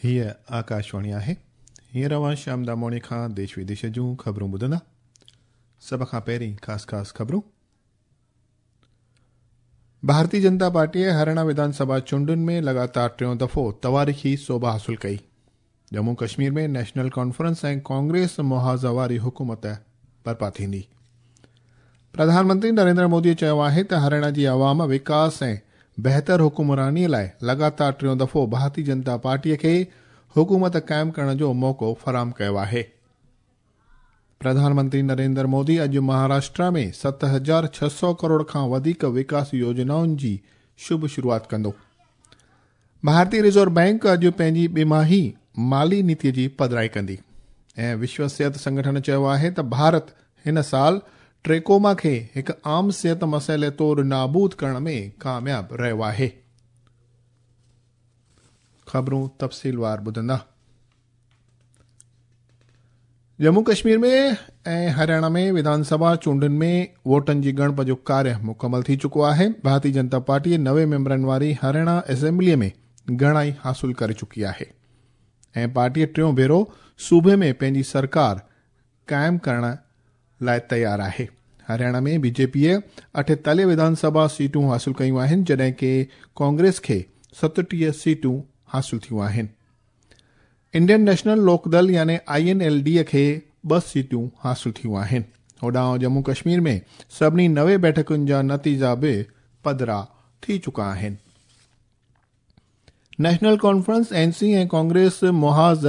هيء آڪاشواڻي آهي. هينئر اوهان شيام داموڻي کان ديش وديش جون خبرون ٻڌندا. سڀ کان پهرين خاص خاص خبرون. ڀارتي جنتا پارٽيء هرياڻا وڌان سڀا چونڊن ۾ لڳاتار ٽيون دفعو تواريخي سوڀ حاصل ڪئي. ڄمون ڪشمير ۾ نيشنل ڪانفرنس ۽ ڪانگريس محاذ واري حڪومت برپا ٿيندي. پرڌان منتري نريندر مودي چيو آهي ته هرياڻا جي عوام وڪاس ۽ بهتر حڪمراني لاء لڳاتار ٽيون دفعو ڀارتي جنتا پارٽي کي حڪومت قائم ڪرڻ جو موقعو فراهم ڪيو آهي. پرڌان منتري نريندر مودي اڄ مهاراشٽرا ۾ 7600 ڪروڙ کان وڌيڪ وڪاس يوجنائن جي شڀ شروعات ڪندو. ڀارتي رزرو بئنڪ اڄ پنهنجي ٻماهي مالي نيتي جي پڌرائي ڪندي ۽ وشو صحت سنگٺن چيو آهي ته ڀارت هن سال ٽريڪوما کي هڪ عام صحت مسئلي طور نابود ڪرڻ ۾ ڪامياب رهيو آهي. خبرون تفصيلوار ٻڌندا. ڄمون ڪشمير ۾ ۽ هرياڻا ۾ وڌان سڀا چونڊن ۾ ووٽن جي ڳڻپ جو ڪاريه مڪمل ٿي چڪو آهي. ڀارتي جنتا پارٽي 90 ميمبرن واري هرياڻا اسيمبلي ۾ گهڻائي حاصل ڪري چڪي آهي ۽ پارٽي ٽيون ڀيرو صوبي ۾ پنهنجي سرڪار قائم ڪرڻ لاء تيار آهي. هرياڻا ۾ بي جي پيء 48 وڌان سڀا سيٽون حاصل ڪيون آهن، جڏهن ڪي ڪانگريس کي 37 سيٽون حاصل ٿيون آهن. انڊين نيشنل لوڪ دل يعني I N L D کي 2 سيٽون حاصل ٿيون آهن. هوڏانهن ڄمون ڪشمير ۾ سڀني 90 بيٺڪن جا نتيجا به پڌرا ٿي چڪا آهن. نيشنل ڪانفرنس، اين سي، ۽ ڪانگريس محاذ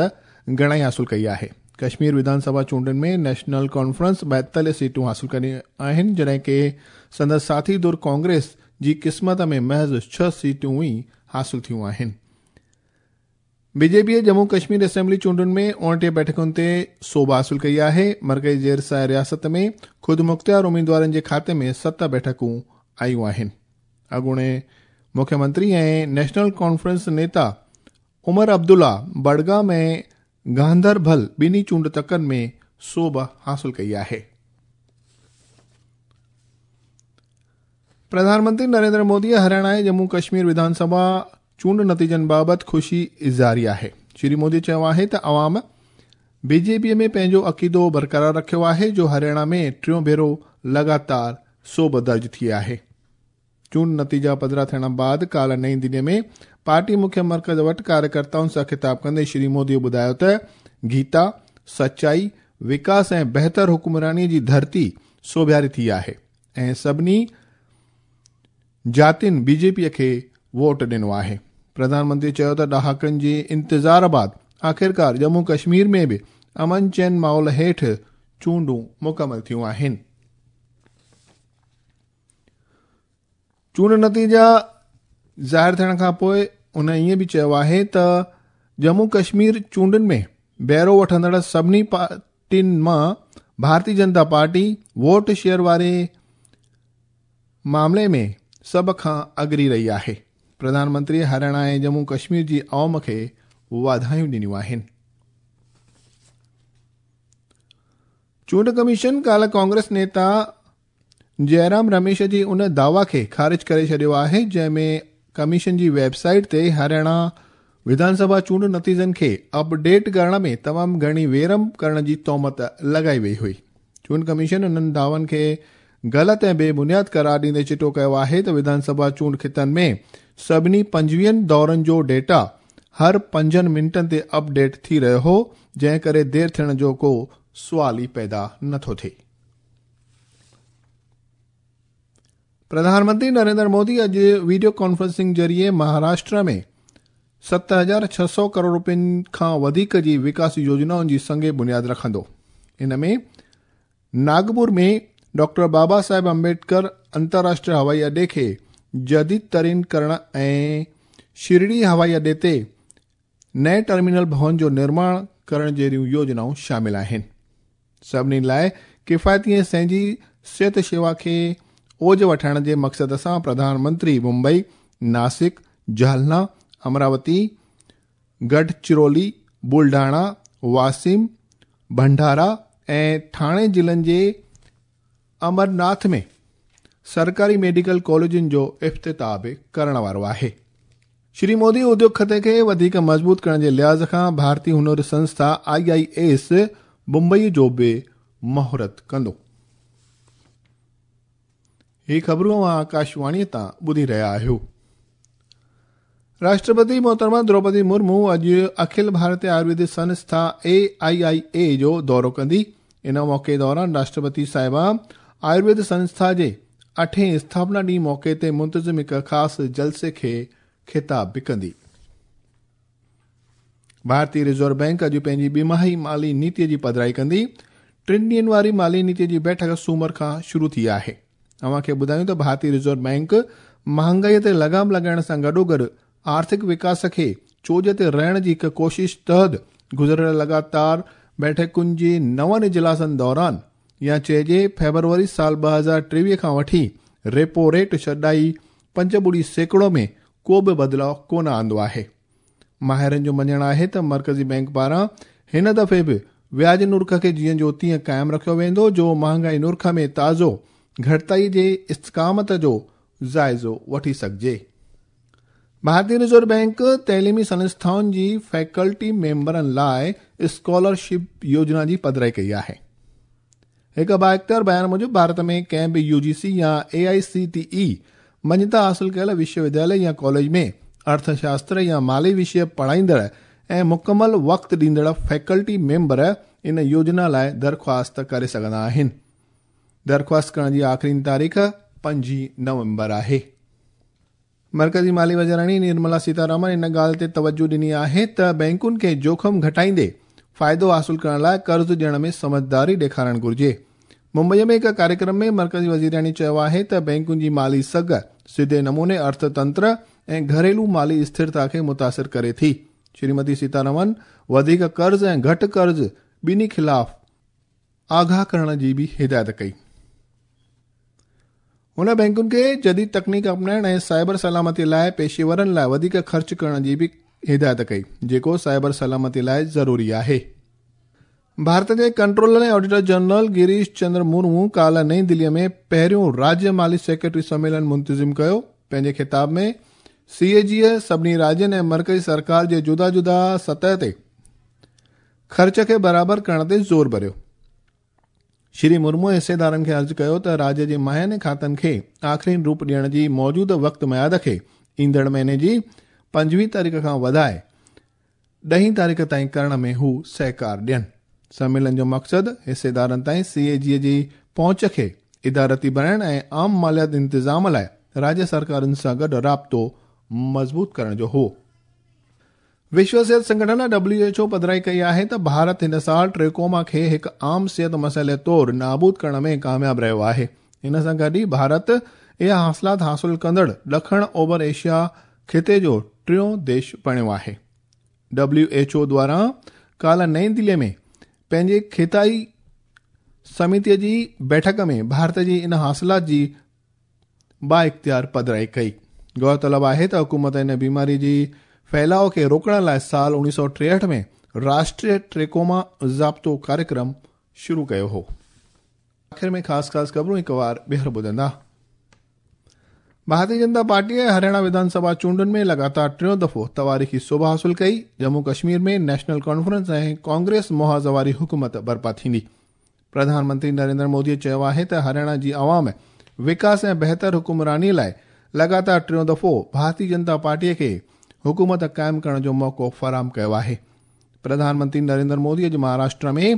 گهڻائي حاصل ڪئي آهي. ڪشمير وڌان سڀا چونڊن ۾ نيشنل ڪانفرنس 42 سيٽون حاصل ڪيون آهن، جڏهن ڪي سندس ساٿي ڌر ڪانگريس جي قسمت ۾ محض 6 سيٽون ئي حاصل ٿيون آهن. بي جي پيء ڄمون ڪشمير اسيمبلي چونڊن ۾ 29 بيٺڪن تي سوڀ حاصل ڪئي آهي. مرڪزي زير سايه رياست ۾ خودمختيار اميدوارن جي کاتي ۾ 7 بيٺڪون آيون آهن. اڳوڻي مکيه منتري ۽ نيشنل ڪانفرنس نيتا عمر عبدالله بڊگام ۽ گاندربل ٻنهي چونڊ تڪن ۾ سوڀ حاصل ڪئي آهي. پرڌان منتري نريندر مودي هرياڻا ۽ ڄمون ڪشمير وڌان سڀا چونڊ نتيجن بابت خوشي اظهاري آهي. شري مودي چيو آهي ته عوام بي جي پي ۾ پنهنجو عقيدو برقرار رکيو آهي جو هرياڻا ۾ ٽيون ڀيرو لڳاتار سوڀ درج ٿي آهي. چونڊ نتيجا پڌرا ٿيڻ بعد ڪالهه نئين دهلي ۾ پارٽي مکيه مرڪز وٽ ڪاريڪرتائن سان خطاب ڪندي شري مودي ٻڌايو ته گيتا، سچائي، وڪاس ۽ بهتر حڪمراني جي ڌرتي سوڀياري ٿي آهي. ۽ سڀني جاتين بي جي پي کي ووٽ ڏنو آهي. پرڌان منتري چيو ته ڏهاڪن جي انتظار بعد آخرڪار ڄمون ڪشمير ۾ به امن چين ماحول هيٺ چونڊون مڪمل ٿيون آهن. چونڊ نتيجا ظاهر ٿيڻ کان پوء هن ائين به چيو آهي ته ڄمون ڪشمير چونڊن ۾ بهرو وٺندڙ سڀني پارٽين مان ڀارتي جنتا پارٽي ووٽ شيئر واري معاملي ۾ سڀ کان اڳري رهي آهي. پرڌان منتري هرياڻا ۽ ڄمون ڪشمير جي عوام کي واڌايون ڏنيون آهن. چونڊ ڪميشن ڪالهه ڪانگريس نيتا جئرام رميش جي ان دعويٰ کي خارج ڪري ڇڏيو آهي جنهن ۾ ڪميشن جي ويب سائيٽ تي هرياڻا وڌان سڀا چونڊ نتيجن کي اپ ڊيٽ ڪرڻ ۾ تمام گهڻي ويرم ڪرڻ جي تهمت لڳائي وئي هئي. چونڊ ڪميشن انهن دعوائن کي غلط ۽ بي بنياد قرار ڏيندي چٽو ڪيو آهي ته وڌان سڀا چونڊ خطن ۾ سڀني 25 دورن جو ڊيٽا هر 5 منٽن تي اپ ڊيٽ ٿي رهيو هو جنهن ڪري دير ٿيڻ جو ڪو سوال ئي پيدا نٿو ٿئي. پرڌان منتري نريندر مودي اڄ وڊيو ڪانفرنسنگ ذريعي مهاراشٽر ۾ 7600 ڪروڙ روپين کان وڌيڪ جي وڪاس يوجنائن جي سنگ بنياد رکندو. ان ۾ ناگپور ۾ ڊاڪٽر بابا صاحب امبيڊڪر انترراشٽريه هوائي اڏي کي جديد ترين ڪرڻ ۽ شرڙي هوائي اڏي تي نئين ٽرمينل ڀون جو نرماڻ ڪرڻ جهڙيون يوجنائون شامل آهن. سڀني لاء ڪفايتي ۽ سهنجي صحت شيوا کي اوج وٺائڻ جي مقصد سان پرڌان منتري ممبئي، ناسڪ، جهالنا، امراوتي، گڙهچرولي، بلڊاڻا، واسيم، ڀنڊارا ۽ ٺاڻي ضلعن جي امرناٿ ۾ سرڪاري ميڊيڪل ڪاليجن جو افتتاح به ڪرڻ وارو آهي. شري مودي اديوگ کاتي کي وڌيڪ مضبوط ڪرڻ جي لحاظ کان ڀارتي هنر سنسٿا آء I S Mumbai جو به مهورت ڪندو. هي خبرون اوهان آڪاشواڻي تان ٻڌي رهيا آهيو. راشٽرپتي محترمه دروپدي مرمو اڄ اکل ڀارتي آيورويد سنسٿا اي آء آء اي جو دورو ڪندي. ان موقعي دوران راشٽرپتي صاحبه آيورويد سنسٿا جي اٺين اسٿاپنا ڏينهن موقعي تي منتظم هڪ خاص جلسي کي خطاب به ڪندي. ڀارتي رزرو بئنڪ اڄ پنهنجي ٻماهي مالي نيتي جي پڌرائي ڪندي. ٽن ڏينهن واري مالي نيتي جي بيٺڪ سومر کان شروع ٿي آهي. اوهان کي ٻڌايون ته ڀارتي رزرو بئنڪ مهانگائي تي لغام لڳائڻ سان گڏوگڏ آرٿڪ وڪاس کي چوڄ تي رهڻ جي هڪ ڪوشش تحت گذريل لڳاتار بيٺڪن جي نون اجلاسن دوران يا چئجي فيبروري سال 2023 کان وٺي ريپو ريٽ ڇڏائي 5.5% ۾ ڪو به بدلاء ڪونه آندو آهي. ماهرن جو مڃڻ آهي ته مرڪزي بئنڪ پاران هن دفعي به وياج نرخ کي جيئن جو تيئن قائم رکيو ويندو جو مهانگائي نرخ ۾ تازو گهٽتائي جي استقامت جو جائزو وٺي سگهجي. ڀارتي رزرو بئنڪ تعليمي سنسٿائن جي فيڪلٽي ميمبرن لاء اسڪالرشپ يوجنا جي پڌرائي ڪئي آهي. هڪ بااختيار بيان موجب ڀارت ۾ ڪنهن به يو جي سي يا اي آء سي ٽي اي مڃتا حاصل ڪيل وشو وديالي يا ڪاليج ۾ ارٿ شاستر يا مالي وشيه پڙهائيندڙ ۽ مڪمل وقت ڏيندڙ فيڪلٽي ميمبر ان يوجنا لاء درخواست ڪري سگهندا آهن. درخواست ڪرڻ جي آخرين تاريخ 5 نومبر آهي. مرڪزي مالي وزيراڻي نرملا سيتارامن ان ڳالهه تي توجهه ڏني آهي ته بئنڪن کي جوکم گهٽائيندي فائدو حاصل ڪرڻ لاء قرض ڏيڻ ۾ سمجهداري ڏيکارڻ گهرجي. ممبئي ۾ هڪ ڪاريڪرم ۾ مرڪزي وزيراڻي چيو آهي ته بئنڪن جي مالي سگهه سڌي نموني ارٿ تنتر ۽ گهريلو مالي اسٿرتا کي متاثر ڪري ٿي. شريمتي سيتارامن وڌيڪ قرض ۽ گهٽ قرض ٻنهي خلاف آگاهه ڪرڻ جي به هدايت ڪئي. هن بئنڪن کي جديد تڪنيڪ اپنائڻ ۽ سائبر سلامتي لاء پيشيورن لاء وڌيڪ خرچ ڪرڻ جي به هدايت ڪئي، جيڪو سائبر سلامتي لاء ضروري آهي. ڀارت جي controller ۽ auditor general Girish Chandra Murmu ڪالهه نئين دهلي ۾ پهريون راجيه مالي سيڪريٽري سميلن منتظم ڪيو. پنهنجي خطاب ۾ سي اي جيء سڀني راجين ۽ مرڪزي سرڪار جي جدا جدا سطح تي خرچ کي برابر ڪرڻ تي زور ڀريو. شري مرمو حصيدارن کي عرض ڪيو ته راجيه جي ماهياني کاتن کي آخرين روپ ڏيڻ جي موجوده وقت ميعاد کي ايندڙ مهيني جي 25 تاريخ کان وڌائي ڏهين تاريخ تائين ڪرڻ ۾ هو سهڪار ڏين. سميلن جو مقصد حصيدارن تائين سي اي جي جي پهچ کي ادارتي بڻائڻ ۽ عام ماليات انتظام لاء راجيه سرڪارن سان گڏ رابطو مضبوط ڪرڻ جو هو. وشو صحت سنگٺن، ڊبليو ايڇ او، پڌرائي ڪئي آهي ته ڀارت هن سال ٽريڪوما کي هڪ عام صحت مسئلي طور نابود ڪرڻ ۾ ڪامياب رهيو آهي. ان سان گڏ ئي ڀارت اها حاصلات حاصل ڪندڙ ڏکڻ اوڀر ايشيا خطي جو ٽيون ديش بڻيو آهي. ڊبليو ايڇ او دواران ڪالهه نئين دهلي ۾ پنهنجي خطائي سميتي جي بيٺڪ ۾ ڀارت جي ان حاصلات جي بااختيار پڌرائي ڪئي. غور طلب آهي ته حڪومت ان بيماري جي ڦهلاء کي روڪڻ لاء سال 1963 ۾ راشٽريه ٽريڪوما ضابطو ڪاريڪرم شروع ڪيو هو. آخر ۾ خاص خاص خبرون هڪ وار ٻيهر ٻڌندا. ڀارتي جنتا پارٽيء هرياڻا وڌان سڀا چونڊن ۾ لڳاتار ٽيون دفعو تواريخي سوڀ حاصل ڪئي. ڄمون ڪشمير ۾ نيشنل ڪانفرنس ۽ ڪانگريس محاذ واري حڪومت برپا ٿيندي. پرڌان منتري نريندر مودي چيو آهي ته هرياڻا جي عوام وڪاس ۽ بهتر حڪمراني لاء لڳاتار ٽيون دفعو ڀارتي جنتا پارٽي کي حڪومت قائم ڪرڻ جو موقعو فراهم ڪيو آهي. پرڌان منتري نريندر مودي اڄ مهاراشٽر ۾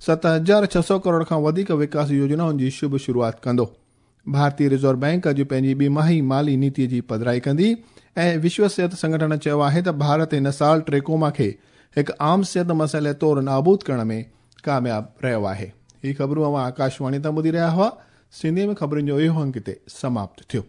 7600 ڪروڙ کان وڌيڪ وڪاسي يوجنائن جي شڀ شروعات ڪندو. ڀارتي رزرو بئنڪ اڄ پنهنجي ٻماهي مالي نيتي جي پڌرائي ڪندي ۽ وشو صحت سنگٺن چيو آهي ته ڀارت هن سال ٽريڪوما کي هڪ عام صحت مسئلي طور نابود ڪرڻ ۾ ڪامياب رهيو آهي. هي خبرون اوهان آڪاشواڻي تان ٻڌي رهيا هئا. سنڌيء ۾ خبرن جو اهو انڪ هتي سماپت ٿيو.